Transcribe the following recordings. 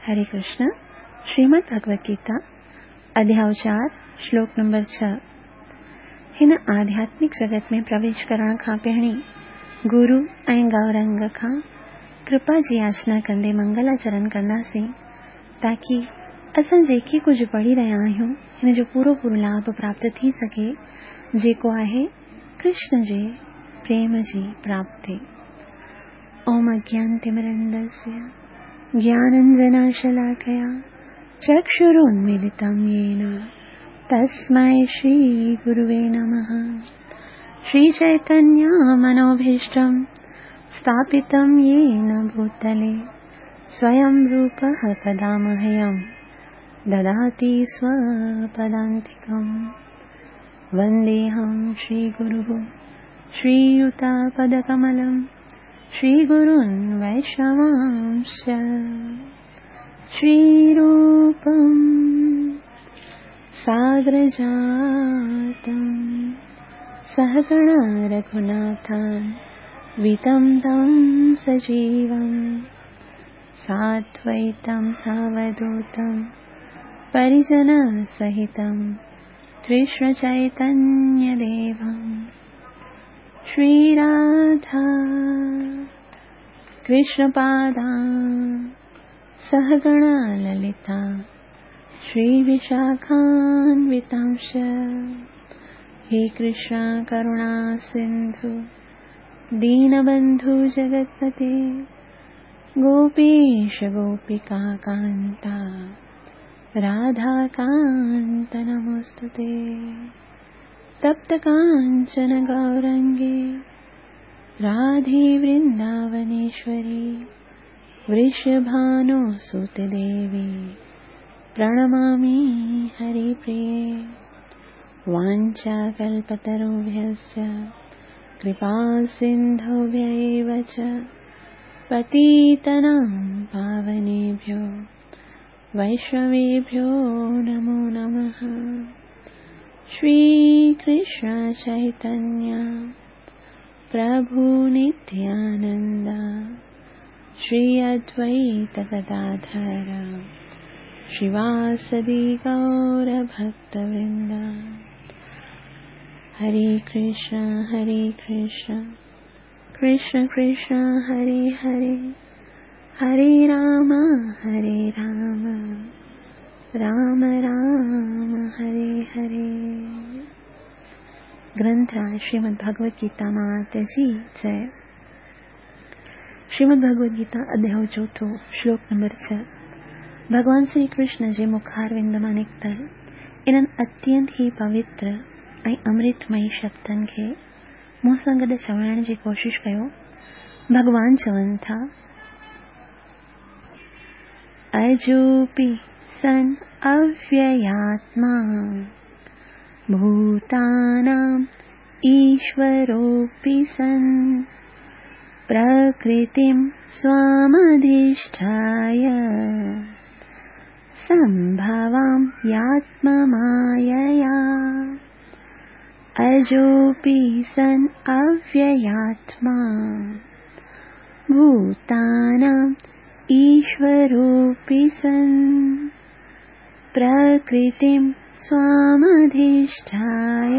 هري ڪرشن، شريمد ڀڳوت گيتا، اڌياء چار، شلوڪ نمبر ڇهه. هن آڌياتمڪ جڳت ۾ پرويش ڪرڻ کان پهرين گرو ۽ گورنگ کان ڪرپا جي ياچنا ڪندي منگلاچرن ڪنداسين تاڪي اسان جيڪي ڪجهه پڙهي رهيا آهيون هن جو پورو پورو لاڀ پراپت ٿي سگهي جيڪو آهي ڪرشن جي پريم جي پراپتي. اوم اجنانتمرندسي گياننجناشلاکيا چڪشرونملتم يين تسمي شري گروي نمه. شري چيتنيا منوڀيشٽم اسٿاپتم يين ڀوتلي سويم روپه ڪدا مهيم دداتي سوپدانتڪم. ونديهم شري گرو شرييتپدڪملم شري گرون ويشنوانش شري روپم ساگرجاتم سهگڻ رگهوناٿان ويتم تم سجيوم سادويتم ساوڌوتم پريجن سهتم ڪرشن چيتنيه ديوم شري راڌا ڪرشن پادا سهگڻ للتا شري وشاکانوتانش. هي ڪرشن ڪروڻا سنڌو دينبنڌو جگتپتي گوپيش گوپيڪا ڪانتا راڌا ڪانت نموستي. تپت ڪانچن گورانگي راڌي ورنداونيشوري ورشڀانو سوت ديوي پرڻمامي هري پريي. وانچا ڪلپتروڀيشچ ڪرپا سنڌوڀيو چ پتيتنام پاونيڀيو ويشنويڀيو نمو نمه. شري ڪرشن چيتنيه پرڀو نتيانند شري ادويت گداڌر شريواسدي گور ڀڪت ورند. هري ڪرشن هري ڪرشن ڪرشن ڪرشن هري هري هري رام هري رام رام رام هري هري. گرنٿ شريمد ڀڳوت گيتا مات جي جئي. شريمد ڀڳوت گيتا اڌياء چوٿون شلوڪ نمبر ڇهه. ڀڳوان شري ڪرشن جي مکاروند مان نڪتل انهن اتينت ئي پوتر ۽ امرتمئي شبدن کي مون سان گڏ چوائڻ جي ڪوشش ڪيو. ڀڳوان چون ٿا، اجوپي سن اوياتما ڀوتانام ايشوروپي سن پرڪرتم سوامڌشٺاي سنڀوام ياتممايا. اجوپي سن اوياتما ڀوتانام ايشوروپي سن پرڪرتم سوامڌشٺاي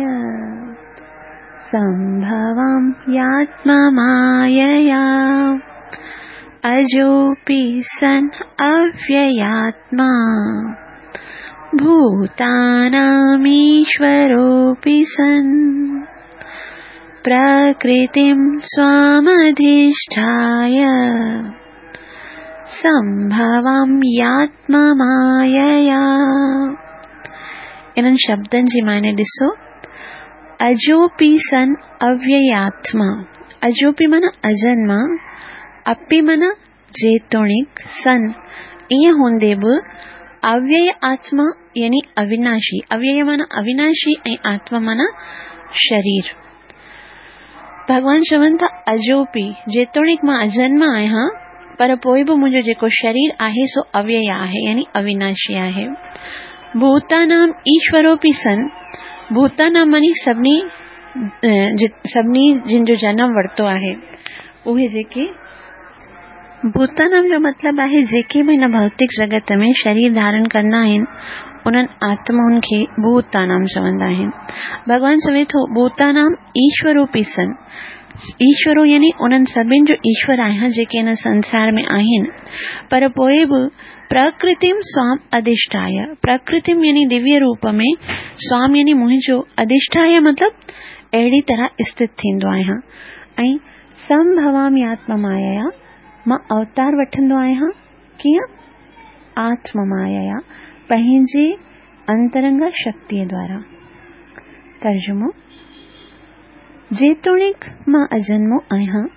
سنڀوام ياتممايا. اجوپي سن اوياتما ڀوتانام ايشوروپي سن پرڪرتم سوامڌشٺاي سنڀوام ياتممايا. انهن شبدن جي معني ڏسو. اجوپي سن اوياتما، اجوپي معنيٰ اجنما، اپي معنيٰ جيتوڻيڪ، سن ائين هوندي به، اويي آتما يعني اويناشي، اويي معنيٰ اويناشي ۽ آتما معنيٰ شرير. ڀڳوان چون ٿا اجوپي، جيتوڻيڪ مان اجنما آهيان پر پوءِ به منهنجو جيڪو شرير آهي سو اويي آهي يعني اويناشي آهي. ڀوتانام ايشوروپي سن، ڀوتانام معني سڀني سڀني جن جو جنم ورتو آهي اهي جيڪي ڀوتانام جو مطلب آهي جيڪي به هن ڀوتڪ جڳت ۾ شرير ڌارڻ ڪندا آهن، انهن آتمائن کي ڀوتانام چوندا آهن. ڀڳوان چوي ٿو، ڀوتانام ايشوروپي سن. ايشورو يعني انهن سڀن جو ايشور آهيان جيڪي هن سنسار ۾ آهن. پر پوء به پرڪرتيم سوام اڌشٺايه، پرڪرتيم يعني دويه روپ ۾، سوام يعني منهنجو، اڌشٺايه مطلب اهڙي طرح اسٿت ٿيندو آهيان ۽ سنڀوامي آتم مايا، مان اوتار وٺندو آهيان، ڪيئن؟ آتم مايا، پنهنجي انترنگا شڪتيء دوارا. ترجمو، جيتوڻيڪ مان اجنمو آهيان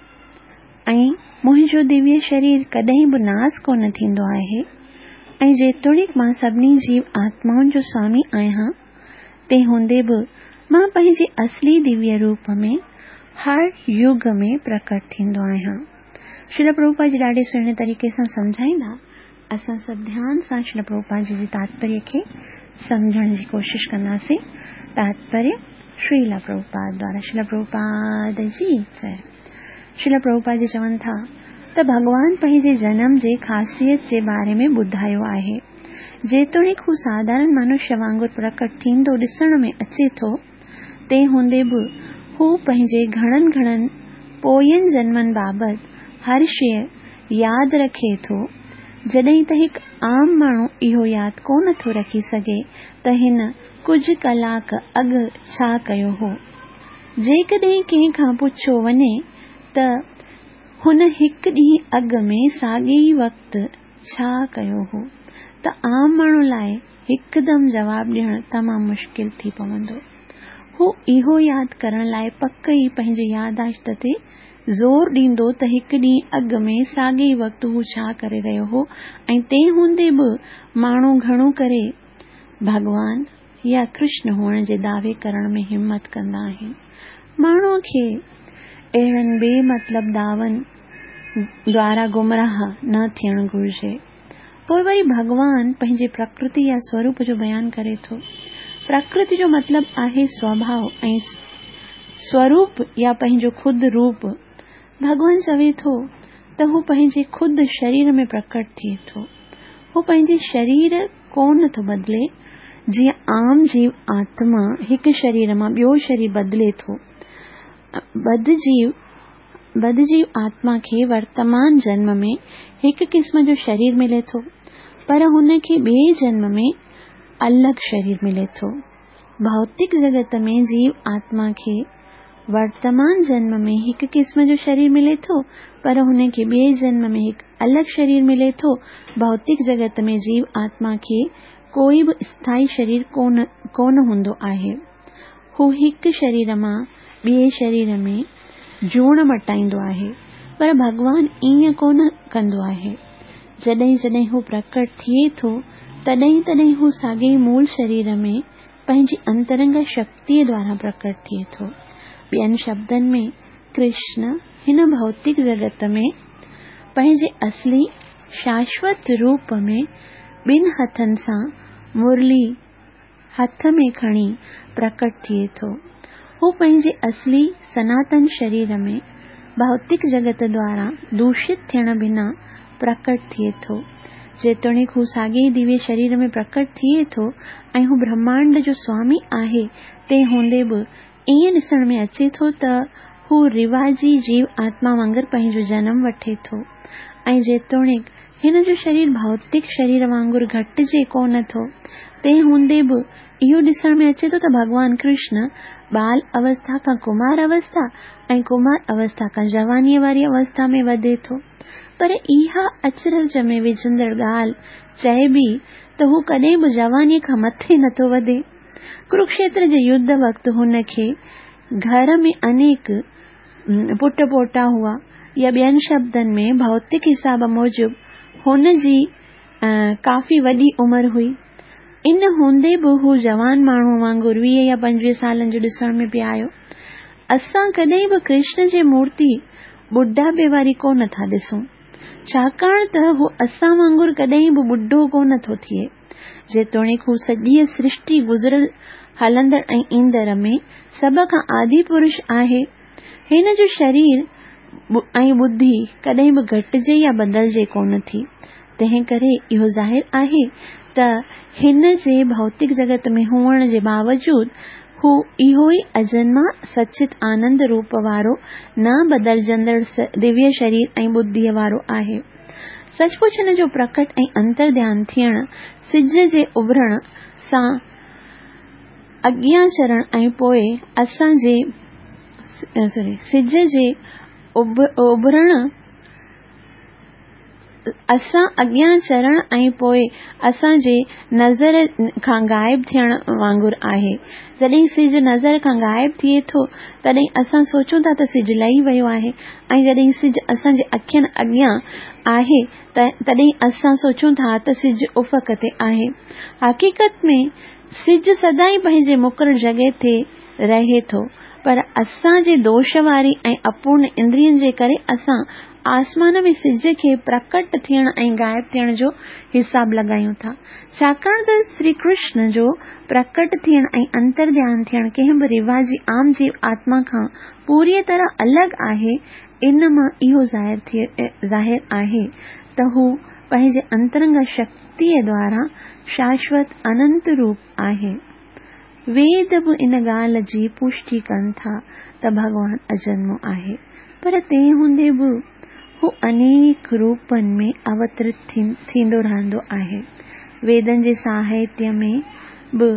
۽ منهنجو دويه شرير ڪڏهن به ناس ڪونه ٿيندو آهي ۽ جيتوڻيڪ مان سڀني جيو آتمائن جو سوامي آهيان، تنهن هوندي به مان پنهنجي اصلي دويه روپ ۾ هر يگ ۾ پرڪٽ ٿيندو آهيان. شريل پرڀوپاد جي ڏاڍي سهڻي طريقي سان سمجهائيندا. اسان سڀ ڌيان سان شريل پرڀوپاد جي جي تاتپريه کي سمجهڻ جي ڪوشش ڪنداسين. تاتپريه شريل پرڀوپاد دوارا شريل پرڀوپاد جي جئي. شريل پرڀوپاد جي چون ٿا ته ڀڳوان پنهنجي جنم جي خاصيت جي باري ۾ ٻڌايو آهي. جيتوڻيڪ هو ساڌارڻ منشيه وانگر پرڪٽ ٿيندو ڏسڻ ۾ اچي ٿو، تنهن هوندي به هو پنهنجي گهڻن گهڻن پوين جنمن بابت هر شيء ياد رکي ٿو، جڏهن ته هڪ عام ماڻهو اهو ياد ڪونه ٿو رکي سگهي ته هن ڪجهه ڪلاڪ اڳ ڇا ڪيو هو. جيڪڏهن ڪنهن کان پڇيو وڃي ته هن هڪ ڏينهن اڳ ۾ ساڳئي ئي وقت ڇا ڪيو هو ته عام ماڻهو لاء هڪدم جواب ڏيڻ تمام مشڪل ٿي پوندو. هو اهو ياد ڪرڻ لاء پڪ ئي پنهنجي ياداشت تي زور ڏيندو ته هڪ ڏينهن اڳ ۾ ساڳئي وقت هو ڇا ڪري رهيو هو ۽ تنهن هوندي به ماڻهو گهڻو ڪري ڀڳوان يا ڪرشن هئڻ جي دعوي ڪرڻ ۾ همت ڪندا آهن. ماڻهوء کي اهڙن بي مطلب دعون دوارا گمراهه نه ٿيڻ گهرجي. پوء وري ڀڳوان پنهنجي پرڪرتي يا سوروپ جو بيان ڪري ٿو. پرڪرتي جو مطلب آهي سوڀاء ۽ سوروپ يا پنهنجو خود روپ. ڀڳوان چوي ٿو ته هو پنهنجي خود شرير ۾ پرڪٽ ٿئي ٿو. هو پنهنجي شرير ڪونه ٿو بدلي، جيئن عام جيو آتما هڪ شرير مان ٻيو شرير بدلي ٿو. ٻڌ جيو ٻڌ جيو آتما کي ورتمان جنم ۾ هڪ قسم جو شرير ملي ٿو، پر هن کي ٻئي جنم ۾ الڳ شرير ملي ٿو. ڀوتڪ جڳت ۾ جيو آتما کي ورتمان جنم ۾ هڪ قسم جو شرير ملي ٿو، پر هن کي ٻئي جنم ۾ هڪ الڳ شرير ملي ٿو. ڀوتڪ جڳت ۾ جيو آتما کي ڪوئي به اسٿائي شرير ڪونه هوندو آهي. هو هڪ شرير مان ٻئي شرير ۾ جوڻ مٽائيندو آهي، پر ڀڳوان ائين ڪونه ڪندو آهي. جڏهن جڏهن هو پرڪٽ ٿئي ٿو، تڏهن تڏهن هو ساڳئي مول شرير ۾ پنهنجي انترنگا شڪتيء دوارا پرڪٽ ٿئي ٿو. ٻين شبدن ۾، ڪرشن هن ڀوتڪ جڳت ۾ پنهنجي اصلي شاشوت روپ ۾ ٻن هٿن سان مرلي هٿ ۾ کڻي پرڪٽ ٿئي ٿو. هو پنهنجي اصلي سناتن شرير ۾ ڀوتڪ جڳت دوارا دوشت ٿيڻ بنا پرڪٽ ٿئي ٿو. جيتوڻيڪ هو ساڳئي دويه شرير ۾ پرڪٽ ٿئي ٿو ۽ هو برهمانڊ جو سوامي آهي، تنهن هوندي به ائين ڏسڻ ۾ اچي ٿو ته هو رواجي جيو آتما وانگر پنهنجو جنم وٺي ٿو ۽ جيتوڻيڪ هن جو شرير ڀوتڪ شرير وانگر گهٽجي ڪونه ٿو، تنهن هوندي به اهو ڏسڻ ۾ اچي ٿو ته ڀڳوان ڪرشن ٻال اوسٿا کان ڪمار اوسٿا ۽ ڪمار اوسٿا کان جوانيء واري اوسٿا ۾ وڌي ٿو. پر اها اچرج ۾ وجهندڙ ڳالهه چئبي ته هو ڪڏهن به جوانيء کان مٿي نٿو وڌي. ڪروڪشيتر جي يڌ وقت هن کي گهر ۾ انيڪ پٽ پوٽا هئا يا ٻين شبدن ۾ ڀوتڪ حساب موجب هن جي ڪافي وڏي عمر هئي. ان هوندي به هو جوان ماڻهوء وانگر 20 يا 25 سالن جو ڏسڻ ۾ پئي آيو. اسان ڪڏهن به ڪرشن جي مورتي ٻڍاپي واري ڪو نه ٿا ڏسون. ڇاڪاڻ ته هو اسان وانگر ڪڏهن به ٻڍو ڪو نه ٿو ٿئي. جيتوڻيڪ هو سڄيء سرشٽي گذريل، هلندڙ ۽ ايندڙ ۾ سڀ کان آدي پرش آهي. هن جو شرير ۽ ٻڌي ڪڏهن به گهٽجي يا بدلجي ڪونه ٿي. تنهن ڪري اهو ظاهر آهي ته هن جي ڀوتڪ جڳت ۾ هئڻ جي باوجود هو اهو ئي اجنما سچت آنند روپ وارو نه بدلجندڙ دويه شرير ۽ ٻڌيء وارو آهي. سچ پچ هن جو پرڪٽ ۽ انتر ڌيان ٿيڻ سج جي اڀرڻ سان اڳيان چڙهڻ ۽ پوء اسان جي سج جي اڀرڻ اسان اڳيان چڙهڻ ۽ پوء اسان جي نظر کان غائب ٿيڻ وانگر آهي. جڏهن سج نظر کان غائب ٿئي ٿو، تڏهن اسان سوچون ٿا ته سج لهي ويو آهي ۽ جڏهن سج اسان جي اکين اڳيان آهي تڏهن اسان سوچون ٿا ته سج افق تي آهي. حقيقت ۾ سج سدائين پنهنجي مقرر جڳهه تي رهي ٿو، پر اسان جي دوش واري ۽ اپورڻ اندرين جي ڪري اسان آسمان ۾ سج کي پرڪٽ ٿيڻ ۽ غائب ٿيڻ جو حساب لڳايون ٿا. ڇاڪاڻ ته شري ڪرشن جو پرڪٽ ٿيڻ ۽ انتر ڌيان ٿيڻ ڪنهن به رواجي عام جيو آتما کان پوريء طرح الڳ آهي، ان مان اهو ظاهر آهي ته هو پنهنجي انترنگ شڪتيء دوارا شاشوت اننت روپ آهي. ويد به ان ڳالهه جي پشٽي ڪن ٿا ته ڀڳوان اجنمو آهي، پر تنهن هوندي به هو انيڪ روپن ۾ اوترت ٿيندو رهندو آهي. ويدن جي ساهتيه ۾ به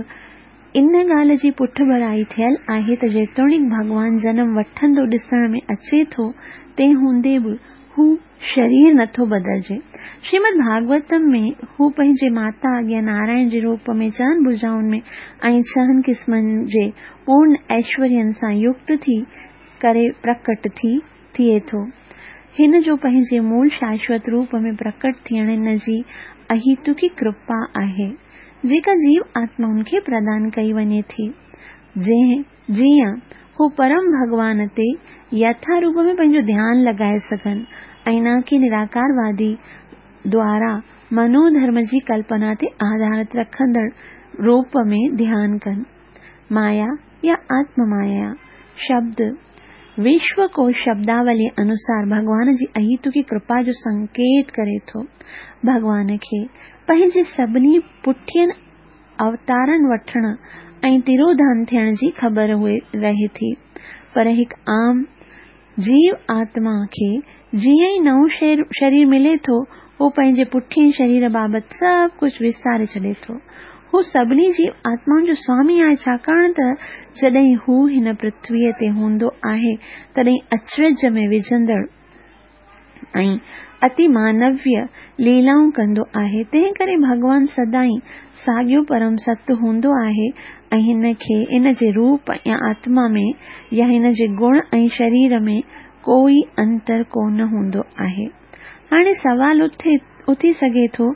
ان ڳالهه جي پٺڀرائي ٿيل آهي ته جيتوڻيڪ ڀڳوان جنم وٺندو ڏسڻ ۾ اچي ٿو، تنهن هوندي به هو شرير نٿو بدلجي. شريمد ڀاڳوتم ۾ هو پنهنجي ماتا اڳيان نارائڻ جي روپ ۾ چئن ڀجائن ۾ ۽ ڇهن قسمن جي پورن ايشورين سان يڪت ٿي ڪري پرڪٽ ٿي ٿئي ٿو. هن جو پنهنجي مول شاشوت روپ ۾ پرڪٽ ٿيڻ هن جي اهيتڪي ڪرپا آهي، جيڪا جيو آتمائن کي پردان ڪئي وڃي ٿي. جنهن جيئن هو پرم ڀڳوان تي يٿا روپ ۾ پنهنجو ڌيان لڳائي سگهن ۽ نه ڪي نراڪاروادي دوارا منو ڌرم جي ڪلپنا تي آڌارت رکندڙ روپ ۾ ڌيان ڪن. مايا يا آتم مايا شبد وشو ڪوش شبداوليء انوسار ڀڳوان جي اهيتڪي ڪرپا جو سنڪيت ڪري ٿو. ڀڳوان کي پنهنجي سڀني پٺين اوتارن وٺڻ ۽ تروڌان ٿيڻ جي خبر رهي ٿي، پر هڪ عام جيو آتما کي جيئن ئي نئون شرير ملي ٿو، هو پنهنجي پٺئين شرير بابت سڀ ڪجهه وساري ڇڏي ٿو. هو سڀني جيو آتمائن جو سوامي آهي، ڇاڪاڻ ته جڏهن هو هن پرٿويء تي هوندو آهي، تڏهن اچرج ۾ وجهندڙ ۽ اتي مانويه ليلائون ڪندو آهي، تنهن ڪري ڀڳوان سدائين ساڳيو پرم ست هوندو آهي ۽ هن کي ان جي روپ يا آتما ۾ يا هن جي گڻ ۽ شرير ۾ ڪو ئي انتر ڪونه هوندو آهي. هاڻي سوال اٿي سگهي ٿو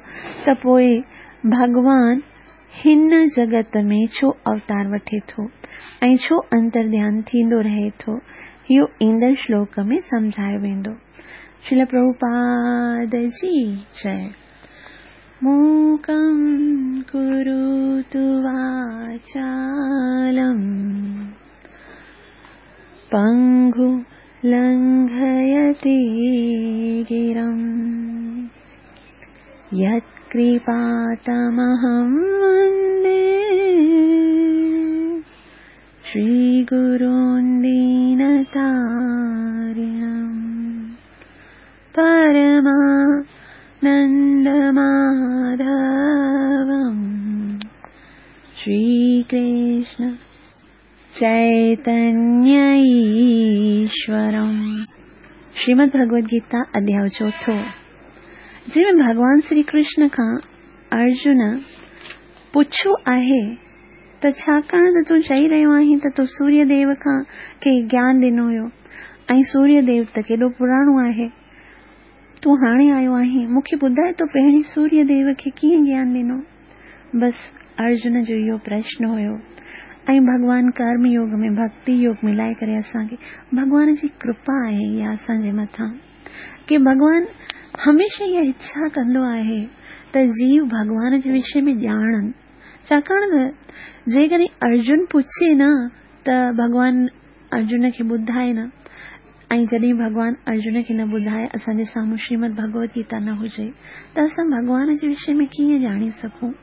ته پوء ڀڳوان هن جڳت ۾ ڇو اوتار وٺي ٿو ۽ ڇو انتر ڌيان ٿيندو رهي ٿو؟ اهو ايندڙ شلوڪ ۾ سمجهايو ويندو. شريل پرڀوپاد جي جئي. موڪم ڪروتو واچالم پنگو لنگهيتي گرم. यत्कृपातमहं वन्दे श्रीगुरून् दीनतारिणम् परमानन्दमाधवम् श्रीकृष्ण चैतन्य ايشورم. شريمد ڀڳوت گيتا اڌياء چوٿون، جنهن ۾ ڀڳوان شري ڪرشن کان ارجن پڇيو آهي ته ڇاڪاڻ ته تون چئي رهيو آهين ته تو سوريه ديو کان کي گيان ڏنو هيو ۽ سوريه ديو ته ڪيڏو پراڻو آهي، تون هاڻي آيو آهين، مون کي ٻڌاء تو پهرين سوريه ديو کي ڪيئن گيان ڏنو؟ بس ارجن جو اهو پرشن هيو ۽ ڀڳوان ڪرم يوگ ۾ ڀڳتي يوگ ملائي ڪري اسان کي ڀڳوان جي ڪرپا آهي اها اسان جي مٿان ڪي ڀڳوان هميشه اها اڇا ڪندو آهي ته جيو ڀڳوان جي وشي ۾ ڄاڻن ڇاڪاڻ ته جيڪڏهن ارجن پڇي نه ته ڀڳوان ارجن کي ٻڌائي نه. ۽ جڏهن ڀڳوان ارجن کي نه ٻڌائي اسان جي سامهون شريمد ڀڳوت گيتا نه هجي ته اسان ڀڳوان جي وشي ۾ ڪيئن ڄاڻي سگهون؟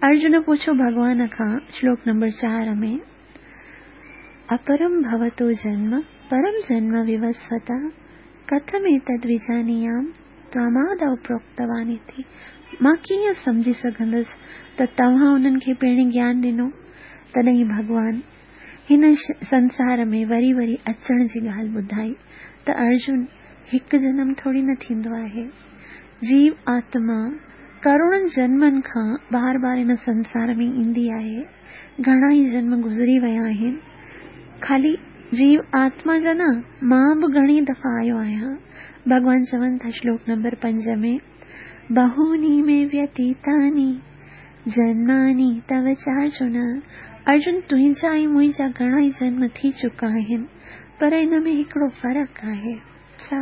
ارجن پڇيو ڀڳوان کان شلوڪ نمبر 4 ۾، اپرم ڀوتو جنم پرم جنم ووسوت ڪٿميتد وجانيام توامادو پروڪتوانيتي مان ڪيئن سمجهي سگهندس ته توهان انهن کي پهرين گيان ڏنو؟ تڏهن ڀڳوان هن سنسار ۾ وري وري اچڻ جي ڳالهه ٻڌائي ته ارجن هڪ جنم ٿوري نه ٿيندو آهي. جيو آتما ڪروڙن جنمن کان بار بار هن سنسار ۾ ايندي آهي. گهڻا ئي جنم گذري ويا آهن. خالي جيو آتما جا نه مان به گهڻي دفعا آيو آهيان. ڀڳوان چون ٿا شلوڪ نمبر 5 ۾، بهوني ۾ ويتيتاني جنماني تو چارجن، ارجن تنهنجا ۽ منهنجا گهڻا ئي جنم ٿي چڪا آهن، پر ان ۾ هڪڙو فرق آهي. ڇا؟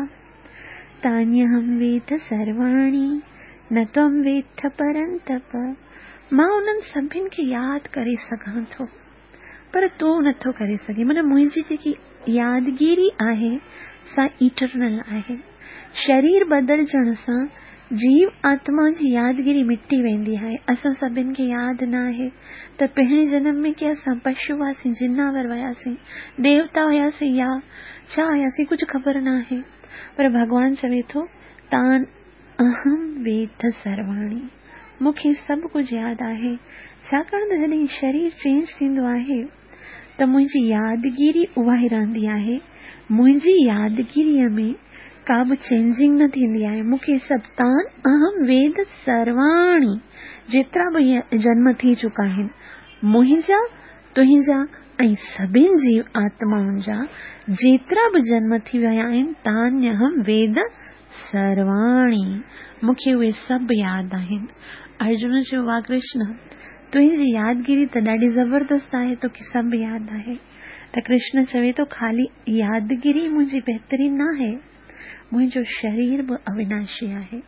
تانيهم ويد سرواڻي، نه تم ويٿ پرنتپ، مان انهن سڀن کي ياد ڪري سگهان ٿو، پر تون نٿو ڪري سگهين. معنيٰ منهنجي جيڪي يادگيري آهي، سا ايٽرنل آهي. شرير بدلجڻ سان جيو آتما جي يادگيري مٽي ويندي آهي. اسان سڀن کي ياد نه آهي ته پهرين جنم ۾ ڪي اسان پشو هئاسين، جناور هياسين، ديوتا هياسين يا ڇا هياسين ڪجهه خبر نه آهي. پر ڀڳوان چوي ٿو تان اهم ويد سرواڻي، مون کي سڀ ڪجهه ياد آهي. ڇاڪاڻ ته جڏهن شرير چينج ٿيندو آهي ته منهنجي يادگيري اها ئي رهندي آهي. منهنجي يادگيريء ۾ ڪا به چينجنگ نه ٿيندي آهي. مون کي سڀ تان اهم ويد سرواڻي، جيترا به جنم ٿي چڪا آهن، منهنجا، تنهنجا ۽ سڀن جيو آتمائن جا جيترا به جنم ٿي ويا آهن، تان اهم ويد سرواڻي، مون کي اهي سڀ ياد آهن. ارجن چيو، واهه ڪرشن! تنهنجي يادگيري ته ڏاڍي زبردست آهي، توکي سڀ ياد آهي. ته ڪرشن چوي ٿو، خالي يادگيري منهنجي بهترين ناهي، منهنجو شرير به اويناشي آهي.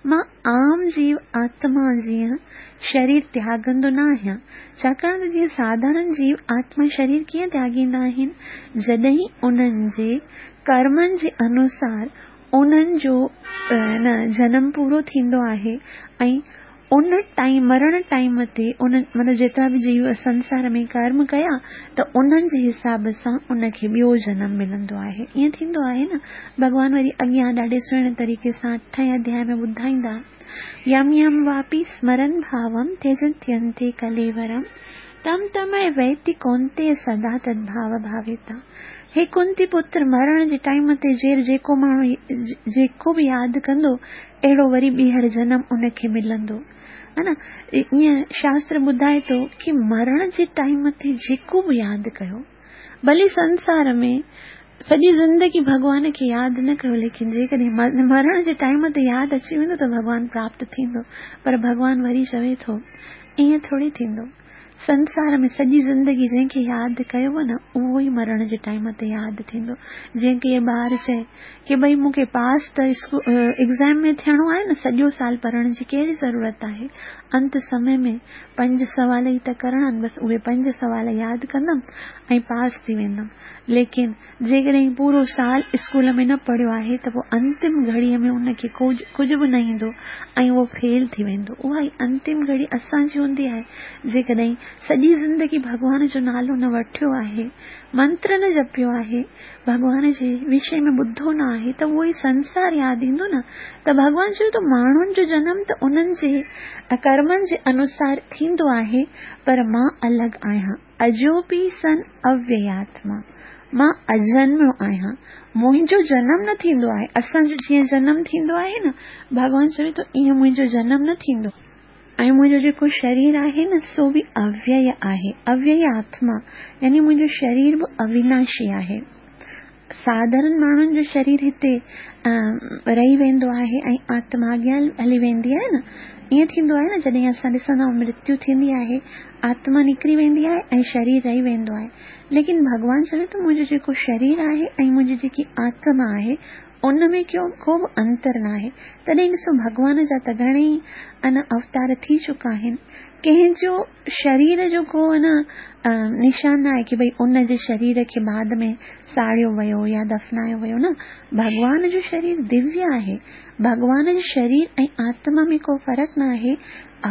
مان عام جيو آتما جيان شرير تياڳندو نه آهيان، ڇاڪاڻ ته جيئن ساڌارڻ جيو آتما شرير ڪيئن تياڳيندا آهن، جڏهن انهن جي ڪرمن جي انوسار انهن جو نه جنم پورو ٿيندو آهي ۽ ان ٽائيم مرڻ ٽائيم تي ان مطلب جيترا به جيو سنسار ۾ ڪرم ڪيا ته انهن جي حساب سان ان کي ٻيو جنم ملندو آهي ائين ٿيندو آهي نه ڀڳوان وري اڳيان ڏاڍي سهڻي طريقي سان اٺين اڌياء ۾ ٻڌائيندا يم يم واپي سمرن ڀاوم تيجنتينتي ڪليورم تم تمئي ويتي ڪونتي سدا تدڀاو ڀاويتا هي ڪنتي پتر مرڻ جي ٽائيم تي جير جيڪو ماڻهو جيڪو به ياد ڪندو اهڙو وري ٻيهر جنم ان کي ملندو ها نه ائين شاستر ٻڌائي ٿو ڪي مرڻ جي ٽائيم تي جيڪو به ياد ڪيو ڀلي سنسار ۾ سڄي زندگي ڀڳوان کي ياد نه ڪيو ليڪن جيڪڏهن مرڻ جي ٽائيم تي ياد اچي ويندو ته ڀڳوان پراپت ٿيندو پر ڀڳوان وري چوي ٿو ائين ٿوري ٿيندو سنسار ۾ سڄي زندگي جنهن کي ياد ڪيو نه اهو ئي مرڻ جي ٽائيم تي ياد ٿيندو. جيئن ڪير ٻار چئي ڪي ڀئي مون کي پاس ته ايگزام ۾ ٿيڻو آهي نه سڄو سال پڙهڻ جي ڪهڙي ضرورت آهي. انت سمي ۾ پنج سوال ئي ته ڪرڻا آهن بس اهي پنج سوال ياد ڪندم ۽ پاس ٿي ويندم. ليڪن جيڪڏهن پورو سال اسڪول ۾ نه پڙهيو آهي ته پوء انتم گهڙيء ۾ ان کي ڪجهه به نه ايندو ۽ اهو فيل ٿي ويندو. اها ئي انتم گهڙي اسان جي هوندي آهي. جيڪڏهن سڄي زندگي ڀڳوان جو نالو نه وٺيو آهي، منتر نه جپيو آهي، ڀڳوان جي وشي ۾ ٻڌو نه آهي ته اهو ئي سنسار ياد ايندو نه ته ڀڳوان چيو ته ماڻهن جو جنم ته انهن جي ڪرمن جي انوسار ٿيندو آهي پر مان الڳ آهيان. اجوپي سن اوياتما، مان اجنميو آهيان، منهنجو جنم نه ٿيندو آهي، اسان جو جيئن جنم ٿيندو آهي نه، ڀڳوان چوي ٿو ائين منهنجو جنم نه ٿيندو ۽ منهنجو جيڪو شرير آهي نه سو به اويئي آهي، اويئي آتما يعني منهنجو شرير به اويناشي آهي. ساڌارن ماڻهن جو شرير هتي رهي ويندو آهي ۽ آتما اڳيان هلي ويندي آهي نه ائين ٿيندو آهي نه جڏهن اسان ڏسندا آهيون مرتيو ٿيندي آهي آتما نڪري ويندي آهي ۽ شرير رهي ويندو آهي ليڪن ڀڳوان چوي ٿو منهنجو جيڪو شرير آهي ۽ منهنجي جيڪي آتما آهي ان ۾ ڪو ڪو به انتر ناهي. تڏهن ڏسو ڀڳوان جا ته گهڻيئي ان اوتار ٿي چڪا آهن. ڪنهن جو شرير جو ڪو ان نشان ناهي ڪي ڀئي ان جي شرير کي بعد ۾ ساڙيو ويو يا دفنايو ويو نه ڀڳوان جو شرير دويه آهي. ڀڳوان جي شرير ۽ آتما ۾ ڪو فرق ناهي.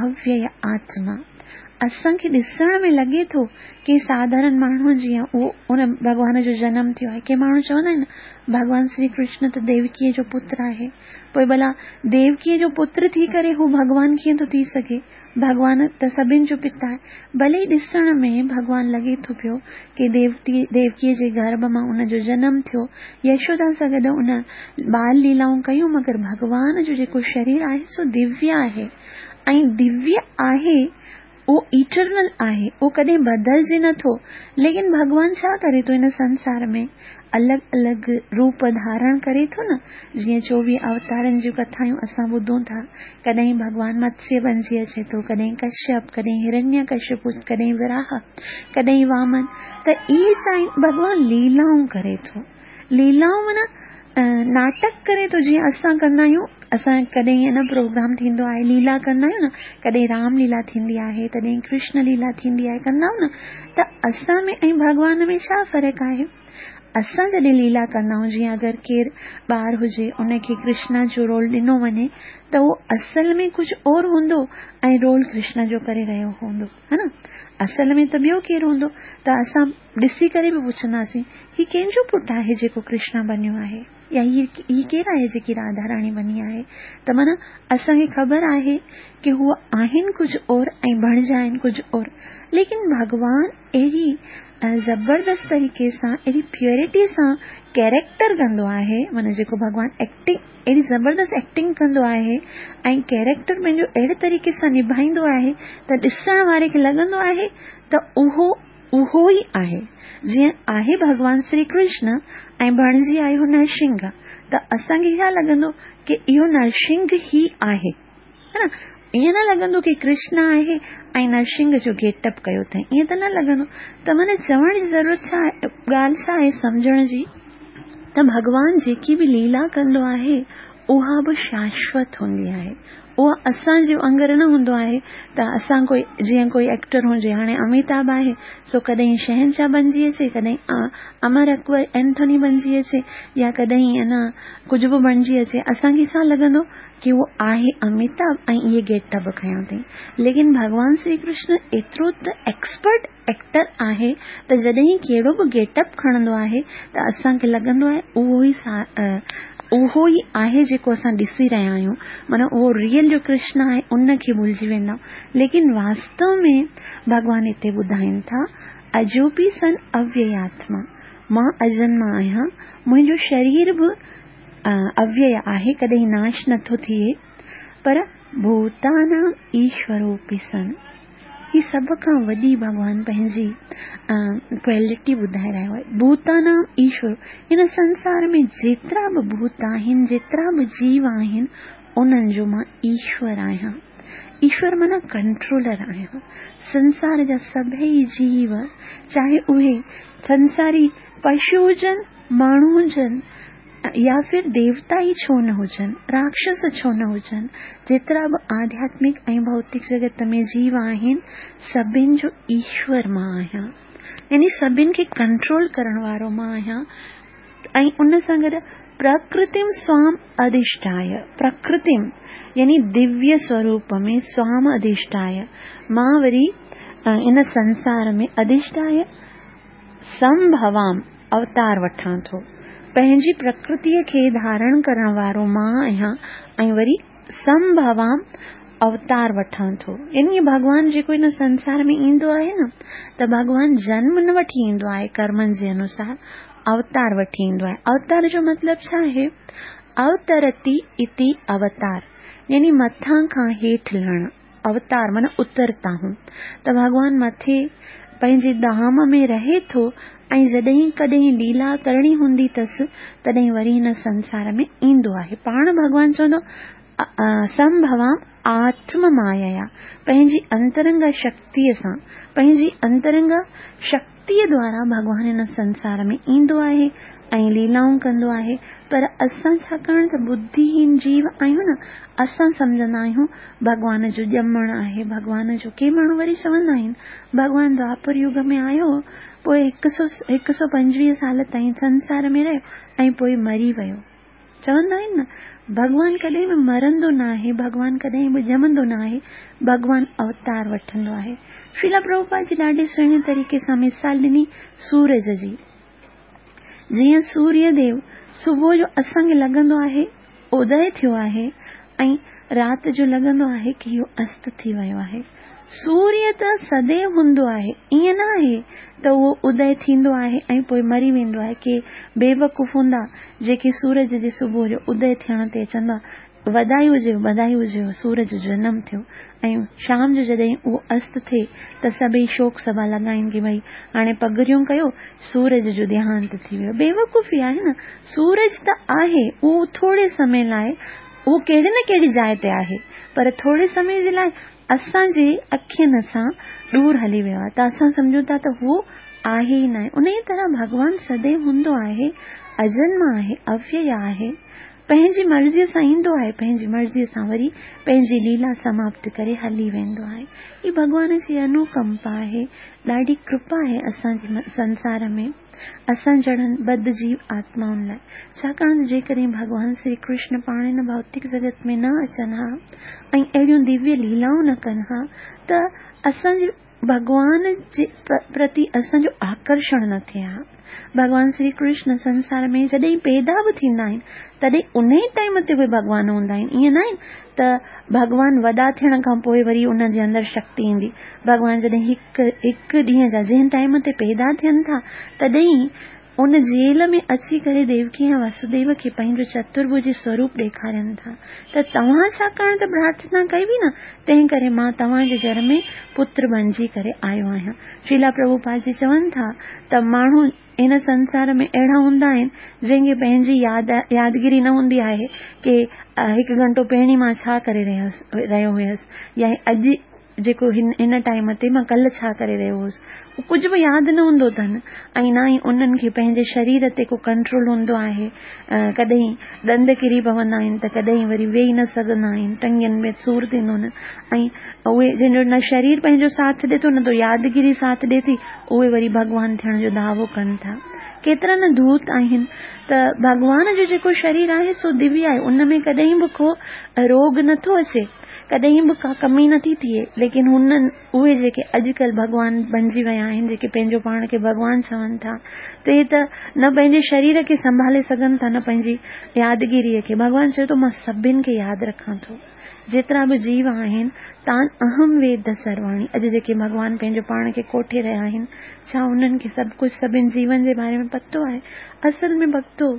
اويئي آتما اسان کي ڏسڻ ۾ لڳي ٿو ڪي ساڌارڻ ماڻهو جيئن اهو ان ڀڳوان جو جنم ٿيو آهي. ڪي ماڻهو چوندا آهن ڀڳوان شري ڪرشن ته ديوڪيء جو پتر آهي. پوء ڀلا ديوڪيء جو پتر ٿي ڪري هو ڀڳوان ڪيئن ٿو ٿي سگهي؟ ڀڳوان ته سڀن جو پتا آهي. ڀلي ئي ڏسڻ ۾ ڀڳوان لڳي ٿو پيو ڪي ديوڪيء جي گرڀ مان ان جو جنم ٿيو، يشودا سان گڏ ان بال ليلائون ڪيون مگر ڀڳوان جو جيڪو شرير آهي سو دويه آهي ۽ دويه آهي اهو ايٽرنل آهي، اهو ڪڏهن بدلجي نه ٿو. ليڪن ڀڳوان ڇا ڪري ٿو هن سنسار ۾ الڳ الڳ روپ ڌارڻ ڪري ٿو نه، جيئن 24 اوتارن جون ڪٿائون اسان ٻڌون ٿا، ڪڏهن ڀڳوان متسيه بنجي اچي ٿو، ڪڏهن ڪشيپ، ڪڏهن هرنيه ڪشيپ، ڪڏهن وراهه، ڪڏهن وامن، ته اهي سائين ڀڳوان ليلائون ڪري ٿو. ليلائون معنيٰ ناٽڪ ڪري ٿو جيئن اسان ڪندا آهيون اسان ڪڏهن ائين نه پروگرام ٿيندو آهي ليلا ڪندا آهيون نه ڪڏهن رام ليلا ٿيندي آهي تڏهن ڪرشن ليلا ٿيندي آهي ڪندا آهيون نه ته اسان ۾ ۽ ڀڳوان ۾ ڇا فرق آهي اسان جڏهن ليلا ڪندا آهيون جيئن اگر ڪير ٻار هجي ان کي ڪرشنا جو رول ڏنو وڃي ته اهو اصل ۾ ڪجهه اور هوندو ۽ رول ڪرشنا جو ڪري رهيو هوندو ها نه اصل ۾ ته ٻيو ڪير هوندو ته اسان ڏسي ڪري به پڇنداسين، هي ڪنهن جو پٽ آهي جيڪو ڪرشنا بنيو آهي؟ يا هي هي ڪير آهي جيڪي راڌا راڻي بني آهي؟ ته معنيٰ اسان کي خبر آهي ڪي هو آهن ڪجهه اور ۽ بڻجا آهن ڪجهه اور. ليڪن ڀڳوان اهڙي زبردست طريقي سان اهڙي پيورٽي سان ڪيريڪٽر ڪندو آهي معنيٰ جيڪو ڀڳوان ايڪٽنگ اهڙي زبردست ايڪٽنگ ڪندو آهي ۽ ڪيريڪٽر پنهنجو اهڙي طريقي سان نڀائيندو آهي ته ڏسڻ واري کي لڳندو آهي ته اهو اهو ئي آهي، جيئن آهي ڀڳوان شري ڪرشن ۽ بڻجي آيو نرسنگهه ته اسان کي ڇا لڳندو ڪي اهو نرسنگهه ئي آهي ها نه ائين نه لڳندو ڪي ڪرشن آهي ۽ نرسنگهه جو گيٽ اپ ڪيو اٿئي ائين ته نه لڳندو ته معنيٰ چوڻ جي ضرورت ڇا آهي ڳالهه ڇا آهي سمجهڻ جي ته ڀڳوان جيڪي به ليلا ڪندو آهي اها به شاشوت هوندي آهي اها اسان جي وانگر نه هوندو آهي ته اسان ڪوئي جيئن ڪوئي ايڪٽر هجي هاڻي اميتاڀ آهي سو ڪڏهن شهنشاهه بنجي اچي ڪڏهن امر اڪبر اينٿوني بنجي اچي يا ڪڏهن انا ڪجهه به بڻجي اچي اسان کي ڇا لڳندو ڪي اهو آهي اميتاڀ ۽ اهي گيٽ اپ کنيو اٿئي ليڪن ڀڳوان شري ڪرشن ايترو ته ايڪسپرٽ ايڪٽر آهي ته جڏهن ڪهڙو به گيٽ اپ کڻندو آهي ته اسان کي لڳندو آهي اهو ئي اهو ئي آهي جيڪو اسان ڏسي رهيا آهيون معنيٰ اهو ريئل جو ڪرشن آهي ان کي ڀلجي ويندا آهيون ليڪن واستو ۾ ڀڳوان هتي ٻڌائين ٿا اجوپي سن اويياتما مان اجنما آهيان منهنجو شرير به اويي آهي ڪڏهن ناش نٿو ٿئي پر ڀوتانام ايشوروپي سن هي سڀ کان وڏي ڀڳوان پنهنجي ڪوالٽي ٻڌائي رهيو آهي. ڀوتانام ايشور هن سنسار ۾ جيترا به ڀوت آهن، جيترا به جيو آهن، انهن جو مان ايشور آهيان. ايشور معنيٰ ڪنٽرولر آهيان. سنسار جا سڀئي جيو چاهي اهي سنساري پشو هجن، ماڻهو هجن، يا ڦر ديوتا ئي ڇو نه هجن، راڪشس ڇو نه هجن، جيترا به آڌياتمڪ ۽ ڀوتڪ جڳت ۾ جيو آهن، سڀن جو ايشور مان آهيان. يعني سڀن کي ڪنٽرول ڪرڻ وارو مان آهيان ۽ ان سان گڏ پرڪرتيم سوام اڌشٺايه، پرڪرتيم يعني دويه سوروپ ۾ سوام اڌشٺايه، مان وري ان سنسار ۾ اڌشٺايه سمڀوام، اوتار وٺان ٿو. پنهنجي پرڪرتيء کي ڌارڻ ڪرڻ وارو مان آهيان ۽ وري سمڀوام اوتار وٺان ٿو. يعني ڀڳوان جيڪو هن سنسار ۾ ايندو آهي نه ته ڀڳوان جنم نه وٺي ايندو آهي ڪرمن جي انوسار اوتار وٺي ايندو آهي. اوتار جو مطلب ڇا آهي؟ اوترتي اتي اوتار يعني مٿان کان هيٺ لهڻ. اوتار معنيٰ اترتا هون ته ڀڳوان مٿي پنهنجي ڌام ۾ رهي ٿو ۽ جڏهن ڪڏهن ليلا ڪرڻي هوندي اٿس تڏهن وري هن سنسار ۾ ايندو آهي. پاڻ ڀڳوان چوندو سمڀوام آتم مايا پنهنجي انترنگا شڪتيء سان پنهنجي انترنگا شڪتيء دوارا ڀڳوان هن سنسار ۾ ايندو آهي ۽ ليلائون ڪندو آهي، پر اسان ڇاڪاڻ ته ٻڌيهين جيو آهيون نه، اسان سمجهندا آهيون ڀڳوان جو ڄمڻ آهي، ڀڳوان جو، ڪي ماڻهو وري چوندا آهن ڀڳوان دوآپر يگ ۾ آيو، پوء 125 سال تائين سنسار ۾ رهيو ۽ پوء مري ويو. چوندا آهن نه، ڀڳوان ڪڏهن به مرندو ناهي، ڀڳوان ڪڏهن به ڄمندو ناهي، ڀڳوان اوتار وٺندو آهي. شريلا پرڀوپاد جي ڏاڍي سهڻي طريقي سان مثال ڏني سورج جي. جيئن سوريه ديو صبح جو اسان کي لڳندو آهي ادي ٿيو آهي ۽ رات جو لڳندو آهي ڪي اهو است ٿي ويو آهي. سوريه ته سديو هوندو آهي، ائين نه آهي ته اهو ادي ٿيندو آهي ۽ پوء مري ويندو آهي. ڪي بيوقوف هوندا جيڪي سورج جي صبح جو ادي ٿيڻ تي چوندا وڌائي هجيو، وڌائي هجيو، سورج جو جنم ٿيو ۽ شام جو جڏهن اهو است ٿئي ته سڀئي شوڪ سڀا لڳائين ڪي ڀئي هاڻي پڳڙيون ڪيو، سورج جو ديهانت ٿي ويو. بيوقوفي آهي نه، سورج ته آهي، اهو ٿوري سمي لاء اهو ڪهڙي نه ڪهڙي جاء تي آهي، پر ٿوري سمي جي لاء اسان جي اکين سان ڏور هلي ويو آهي ته اسان سمجهون ٿا ته هو آهي ئي ناهي. انهيء طرح ڀڳوان سديو هوندو آهي، اجنما آهي، اويئي آهي، پنهنجي مرضيء سان ايندو آهي، پنهنجي مرضيء سان وري پنهنجي ليلا سماپت ڪري هلي ويندو آهي. هي ڀڳوان جي انوڪمپا آهي، ڏاڍي ڪرپا آهي اسان جي سنسار ۾ اسان جهڙن بد جيو آتمائن لاء. ڇاڪاڻ ته جيڪڏهن ڀڳوان سري ڪرشن پاڻ هن ڀوتڪ جڳت ۾ نه اچن ها ۽ اهڙيون دويه ليلائون نه ڪن ها ته اسان جي ڀڳوان جي پرتي اسان جو آڪرشڻ نه ٿئي ها. ڀڳوان سري ڪرشن سنسار ۾ جڏهن پيدا به ٿيندا آهن تڏهن انهي ٽائيم تي اهي ڀڳوان هوندا آهن. ائين ناهي ته ڀڳوان وڏا ٿيڻ کان پوء وري انهن جي اندر شڪتي ايندي. ڀڳوان جڏهن هڪ هڪ ڏينهن جا جنهن ٽائيم تي پيدا ٿين ٿا تڏهن ان جيل ۾ اچي ڪري ديوڪي ۽ واسوديو کي پنهنجو چترڀجي سوروپ ڏيکارين ٿا ته توهان ڇاڪاڻ ته پرارٿنا ڪئي هئي نه، تنهن ڪري مان توهان جي گهر ۾ پتر بنجي ڪري آيو آهيان. شريلا پرڀوپاد جي چون ٿا ته ماڻهو هن سنسار ۾ اهڙا هوندا آهن جنهن کي پنهنجي ياد يادگيري نه هوندي آهي ڪي هڪ گهنٽو پهرين مان ڇا ڪري رهيو هيس يا اڄ جيڪو هن هن ٽائيم تي مان ڪلهه ڇا ڪري رهيو هوس ڪجهه به ياد نه هوندو اٿن ۽ نه ئي انهن کي پنهنجي شرير تي ڪو ڪنٽرول هوندو آهي. ڪڏهن ڏند ڪري پوندا آهن ته ڪڏهن وري ويهي نه سگهندا آهن، ٽنگين ۾ سور ٿيندو آهن ۽ اهي جن جو نه شرير پنهنجو ساٿ ڏي ٿو نه ته يادگيري ساٿ ڏي ٿي، اهي وري ڀڳوان ٿيڻ جو دعوو ڪن ٿا. ڪيترا نه ڌوت آهن ته ڀڳوان جو جيڪو شرير آهي سو دويه آهي، ان ۾ ڪڏهن به ڪو روڳ نٿو اچي. ڪڏهن به ڪا ڪمي نٿي ٿئي، ليڪن هنن اهي جيڪي اڄڪلهه ڀڳوان بنجي ويا آهن، جيڪي پنهنجو پاڻ کي ڀڳوان چون ٿا، ته اهي ته نه پنهنجي شرير کي سنڀالي سگهن ٿا نه پنهنجي يادگيريء کي. ڀڳوان چوي ٿو مان سڀن کي ياد رکان ٿو. جيترا به جيو آهن، تان اهم ويد سرواڻي. اڄ جيڪي ڀڳوان پنهنجو پاڻ کي ڪوٺي رهيا آهن، ڇا انهن کي سڀ ڪجهه سڀن جيون جي باري ۾ پتو آهي؟ اصل ۾ ڀڳتو،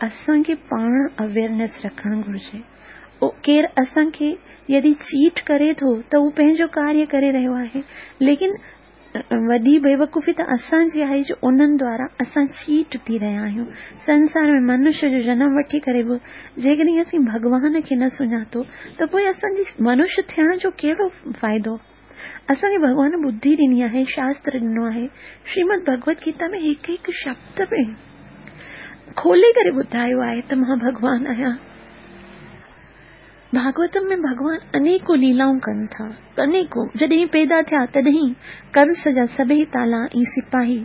اسان کي پاڻ اويئرنيس رکڻ گهرجي. ڪير اسان کي يدي چيٽ ڪري ٿو ته هو پنهنجو ڪاريه ڪري رهيو آهي ليڪن وڏي بيوقوفي ته اسان جي آهي جو انهن دوارا اسان چيٽ ٿي رهيا آهيون. سنسار ۾ منش جو جنم وٺي ڪري به جيڪڏهن اسين ڀڳوان کي نه سڃاتو ته پوء اسان جي منش ٿيڻ جو ڪهڙو فائدو؟ اسان کي ڀڳوان ٻڌي ڏني آهي، شاستر ڏنو آهي. شريمد ڀڳوت گيتا ۾ هڪ هڪ شبد ۾ کولي ڪري ٻڌايو آهي ته مان ڀڳوان آهيان. ڀاڳوتم ۾ ڀڳوان انيڪون ليلائون ڪن ٿا، انيڪون. جڏهن پيدا ٿيا تڏهن ڪنس جا سڀئي تالا ۽ سپاهي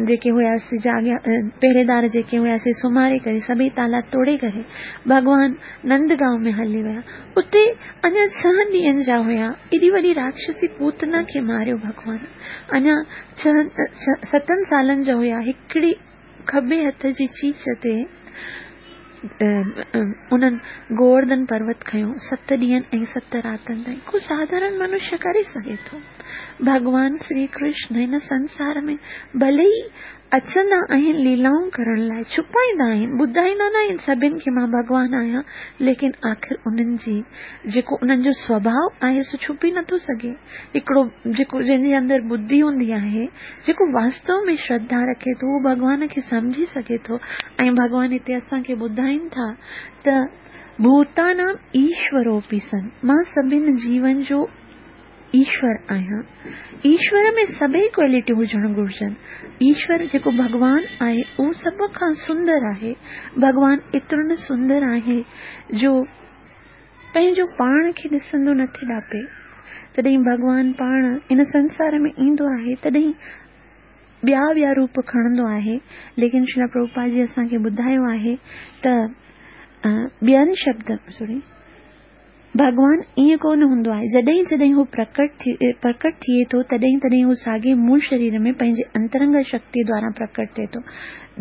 جيڪي هيا سي جاڳيا، پهريدار جيڪي هيا سي سمهاري ڪري سڀئي تالا توڙي ڪري ڀڳوان نند گائون ۾ هلي ويا. اتي اڃا ڇهن ڏينهن جا هيا. ايڏي وڏي راڪشسي پوتنا کي ماريو ڀڳوان. اڃا ڇهن ستن سالن جا هيا. هڪڙي کٻي هٿ جي چيچ تي انهن گوورڌن پروت کنيو ست ڏينهن ۽ ست راتن تائين. ڪو ساڌارڻ منشيه ڪري سگهي ٿو؟ ڀڳوان سري ڪرشن هن سنسار ۾ ڀلي ئي اچندا آهن ليلائون ڪرڻ لاء، ڇپائيندا آهن، ٻڌائيندا نه آهن سڀن کي مان ڀڳوان آهيان، ليڪن آخر انهن جي جيڪو انهن جو سوڀاء آهي سو ڇپي نٿو سگهي. هڪڙو جيڪو جنهن جي اندر ٻڌي هوندي آهي، جيڪو واستو ۾ شرڌا رکي ٿو اهو ڀڳوان کي سمجهي سگهي ٿو ۽ ڀڳوان هتي اسان کي ٻڌائين ٿا ته ڀوتانام ايشوروپي سن، مان سڀن جيون جو. ايشور آهيان. ايشور ۾ سڀئي ڪوالٽيون هجڻ گهرجن. ايشور جيڪو ڀڳوان آهي اهو سڀ کان سندر آهي. ڀڳوان ايترو نه سندر آهي جو پنهنجو پاڻ کي ڏسندو نه ٿي ڏاپي. جڏهن ڀڳوان پاڻ ان سنسار ۾ ايندو آهي تڏهن ٻيا ٻيا روپ کڻندو آهي ليڪن شريلا پرڀوپاد جي اسان کي ٻڌايو آهي ته ٻين شبد سوري ڀڳوان ائين ڪو نه هوندو آهي. جڏهن جڏهن هو پرڪٽ ٿئي ٿو، تڏهن تڏهن هو ساڳئي مول شرير ۾ پنهنجي انترنگ شڪتيء دواران پرڪٽ ٿئي ٿو.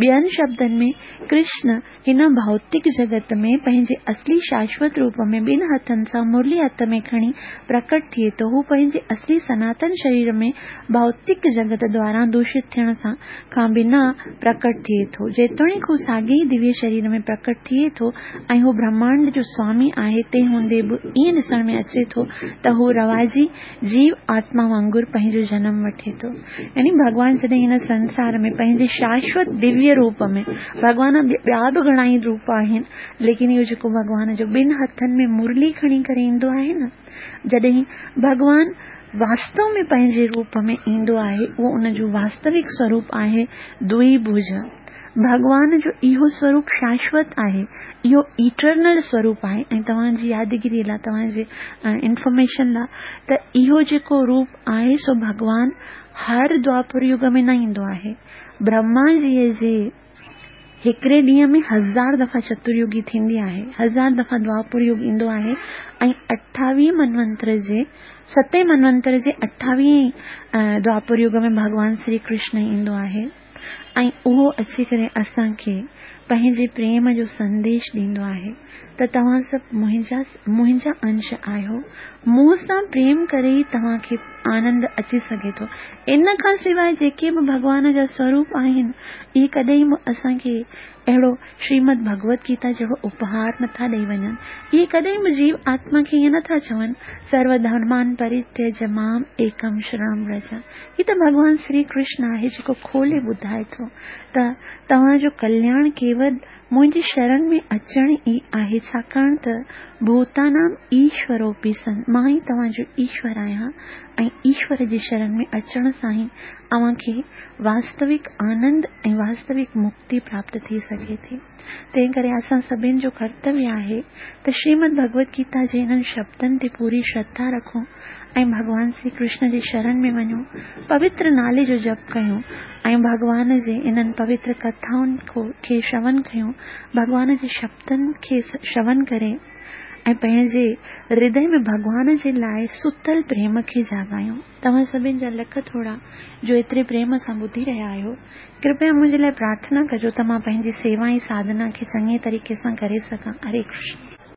ٻين شبدن ۾، ڪرشن هن ڀوتڪ جڳت ۾ پنهنجي اصلي شاشوت روپ ۾ ٻن هٿن سان مرلي هٿ ۾ کڻي پرڪٽ ٿئي ٿو. هو پنهنجي اصلي سناتن شرير ۾ ڀوتڪ جڳت دواران دوشت ٿيڻ کان بنا پرڪٽ ٿئي ٿو. جيتوڻيڪ هو ساڳئي ئي دويه شرير ۾ پرڪٽ ٿئي ٿو ۽ هو برهمانڊ جو سوامي آهي، تنهن هوندي به ائين ڏسڻ ۾ اچي ٿو ته هو رواجي جيو آتما وانگر پنهنجو جنم وٺي ٿو. يعني ڀڳوان جڏهن هن سنسار ۾ پنهنجي شاشوت دويه روپ ۾، ڀڳوان ٻيا به گهڻائي روپ آهن، ليڪن اهو جيڪو ڀڳوان جو ٻن هٿن ۾ مرلي کڻي ڪري ايندو آهي نه، جڏهن ڀڳوان واستو ۾ پنهنجي روپ ۾ ايندو آهي، اهو ان جو واستوڪ سوروپ آهي، دوئي ڀوج. ڀڳوان جو اهو سوروپ شاشوت آهي، اهو ايٽرنل سوروپ آهي ۽ توهان جي يادگيري لاء، توهان جي انفارميشن لاء ته اهو جيڪو روپ آهي سو ڀڳوان هر دوآپر يگ ۾ نه ايندو آهي. برهما جيء جي هڪڙي ڏينهن ۾ هزار دفعا چتريگي ٿيندي آهي، هزار دفعا دوآپر يگ ايندو آهي ۽ اٺاويهه منونتر جي ستين منونتر جي اٺاويهين دوآپر يگ ۾ ڀڳوان سري ڪرشن ايندو آهي ۽ اهو اچي ڪري اسان کي پنهنجي پريم جو سنديش ڏيندو آهي ته توهان سڀ منهنجا منهنجا انش آهيو، مون سان پريم ڪري ئي توهان کي آنند اچي سگهي ٿو. ان کان سواء جيڪي به ڀڳوان جا سوروپ آهن، اهي ڪڏهن به اسان کي اهڙو شريمد ڀڳوت گيتا جهڙو اپهار نٿا ڏئي وڃن. اهي ڪڏهن به جيو آتما کي ائين نٿا چون، سرو ڌرمان پريتيج مام ايڪم شرڻم ورج. هي ته ڀڳوان سري ڪرشن آهي جيڪو کولي ٻڌائي ٿو ته توهان جو ڪلياڻ ڪيول منهنجي شرڻ ۾ اچڻ ئي آهي ڇاڪاڻ ته ڀوتانام ايشوروپي سن مان ئي توهان جو ايشور آهيان ۽ ايشور جي شرڻ ۾ اچڻ سان ئي اوهان کي واستوڪ آنند ۽ واستوڪ مڪتي پراپت ٿي سگهي ٿي. تنهن ڪري اسان سڀن جو ڪرتويه آهي ته شريمد ڀڳوت گيتا جي انهن شبدن تي پوري شرڌا رکون ۽ ڀڳوان سري ڪرشن جي شرڻ ۾ وڃون، پوتر نالي جو جپ ڪيون ۽ ڀڳوان جي انهن پوتر ڪٿائن کي شرون ڪيون، ڀڳوان جي شبدن کي شرون ڪري ۽ پنهنجي هردي ۾ ڀڳوان جي لاء ستل پريم کي جاڳايون. توهان سڀن جا لک ٿورا جو ايتري پريم سان ٻڌي رهيا آهيو. ڪرپيا منهنجي لاء پرارٿنا ڪجو ته مان پنهنجي سيوا ۽ ساڌنا کي چڱي طريقي سان ڪري سگهان. هري ڪرشن.